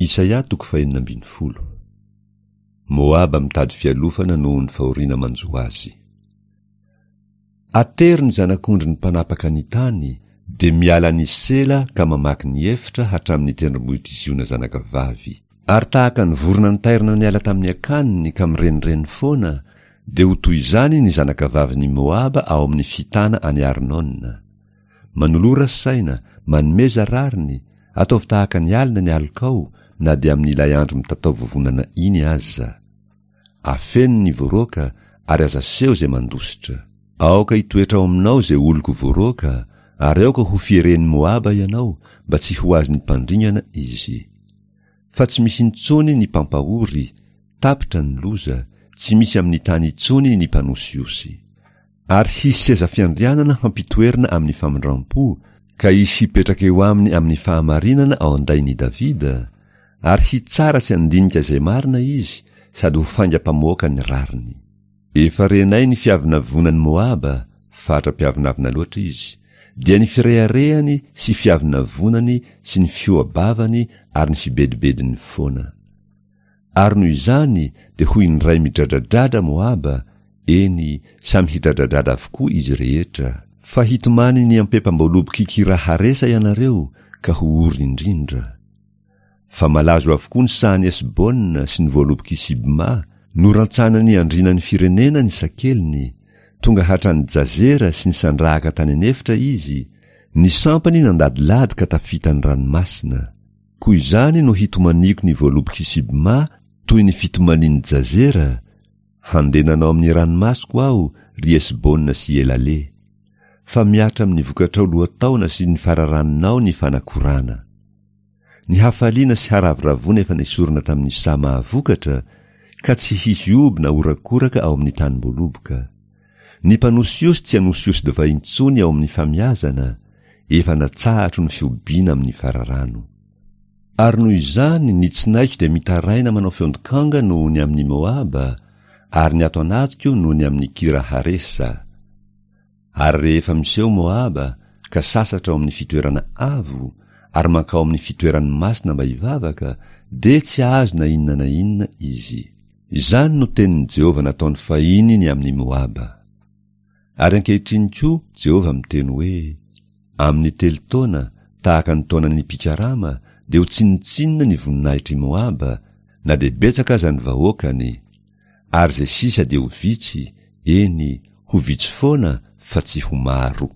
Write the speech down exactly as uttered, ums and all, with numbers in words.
Isaia toko fahenina ambin'ny folo. Moaba mitady fialofana noho ny fahoriana manjo azy. Atero ny zanak'ondrin'ny mpanapaka ny tany, dia miala ny sela ka mamaky ny efitra hatramin'ny tendrombohitr'i Ziona zanakavavy. Ary tahaka ny vorona nitairina niala tamin'ny akaniny ka mirenireny foana, dia ho toy izany ny zanakavavin'i Moaba ao amin'ny fitana any Arnona. Manolora saina, manomeza rariny, ataovy tahaka ny alina ny alokao, na dia amin'ilay andro mitatao vovonana iny aza. Afeno ny voaroaka ary aza aseho izay mandositra. Aoka hitoetra ao aminao izay oloko voaroaka, ary aoka ho fieren'i Moaba ianao, mba tsy ho azon'ny mpandringana izy. Fa tsy misy intsony ny mpampahory, tapitra ny loza, tsy misy amin'ny tany intsony ny mpanosihosy. Ary hisy seza fiandrianana hampitoerina amin'ny famindram-po, ka hisy hipetraka eo aminy amin'ny fahamarinana ao an-dain'i Davida, ary hitsara sy handinika izay marina izy, sady ho faingam-pamoaka ny rariny. Efa renay ny fiavonavonan'i Moaba, fatra mpiavonavona loatra izy, dia ny fireharehany sy fiavonavonany sy ny fihoa-bavany ary ny fibedibediny foana. Ary noho izany dia ho indray midradradradra Moaba, eny, samy hidradradradra avokoa izy rehetra. Fa hitomany ny ampempam-boalobok'i Kira-haresa ianareo, ka ho ory indrindra. Fa malazo avokoa ny sahan'i Hesbona sy ny voalobok'i Sibma, norantsanan'ny andrianan'ny firenena ny sakeliny, tonga hatrany Jazera sy ny sandrahaka tany an'efitra izy, ny sampany nandadilady ka tafita ny ranomasina. Koa izany no hitomaniako ny voalobok'i Sibma toy ny fitomanin'i Jazera, handenanao amin'ny ranomasoko aho, ry Hesbona sy Elale. Fa mihatra amin'ny vokatrao lohataona sy ny fararanonao ny fanakorana. Ny hafaliana sy haravoravoana efa nesorina tamin'ny saha mahavokatra, ka tsy hisy oby na horakoraka ao amin'ny tanim-boaloboka. Ny mpanosihosy tsy hanosihosy divay intsony ao amin'ny famiazana, efa natsahatro ny fihobiana amin'ny fararano. Ary noho izany ny tsinaiko dia mitaraina manao feon-dokanga noho ny amin'i Moaba, ary ny ato anatiko noho ny amin'i Kira-haresa. Ary rehefa miseho Moaba, ka sasatra ao amin'ny fitoerana avo, ary mankao amin'ny fitoerany masina mba hivavaka, dia tsy hahazo na inona na inona izy. Izany no tenin'i Jehovah nataony fahiny ny amin'i Moaba. Ary ankehitriny koa Jehovah miteny hoe, amin'ny telo taona, tahaka ny taonan'ny mpikarama, dia ho tsinontsinona ny voninahitr'i Moaba, na dia betsaka aza ny vahoakany, ary izay sisa dia ho vitsy, eny, ho vitsy foana fa tsy ho maro.